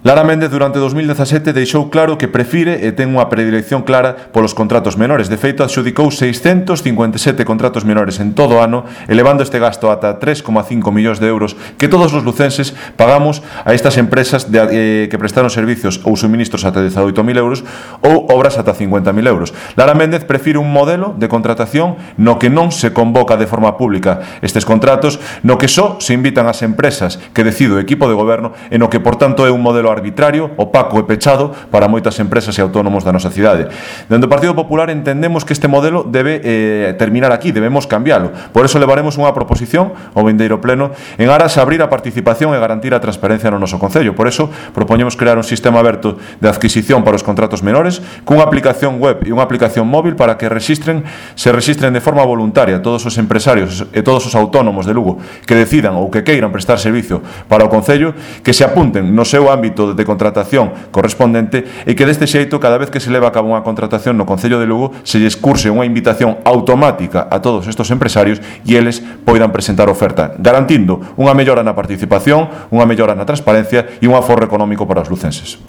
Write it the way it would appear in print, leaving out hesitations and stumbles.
Lara Méndez durante 2017 deixou claro que prefire e ten unha predilección clara polos contratos menores. De feito, adxudicou 657 contratos menores en todo o ano, elevando este gasto ata 3,5 millóns de euros que todos os lucenses pagamos a estas empresas que prestaron servicios ou suministros ata 18.000 euros ou obras ata 50.000 euros. Lara Méndez prefire un modelo de contratación no que non se convoca de forma pública estes contratos, no que só se invitan as empresas que decide o equipo de goberno e no que, por tanto, é un modelo arbitrario, opaco e pechado para moitas empresas e autónomos da nosa cidade. Dende o Partido Popular entendemos que este modelo debe terminar aquí, debemos cambiálo. Por eso levaremos unha proposición ao vindeiro pleno en aras a abrir a participación e garantir a transparencia no noso concello. Por eso propoñemos crear un sistema aberto de adquisición para os contratos menores cunha aplicación web e unha aplicación móvil para que se rexistren de forma voluntaria todos os empresarios e todos os autónomos de Lugo que decidan ou que queiran prestar servicio para o concello, que se apunten no seu ámbito de contratación correspondente e que deste xeito, cada vez que se leva a cabo unha contratación no Concello de Lugo, se lles curse unha invitación automática a todos estes empresarios e eles poidan presentar oferta, garantindo unha mellora na participación, unha mellora na transparencia e un aforro económico para os lucenses.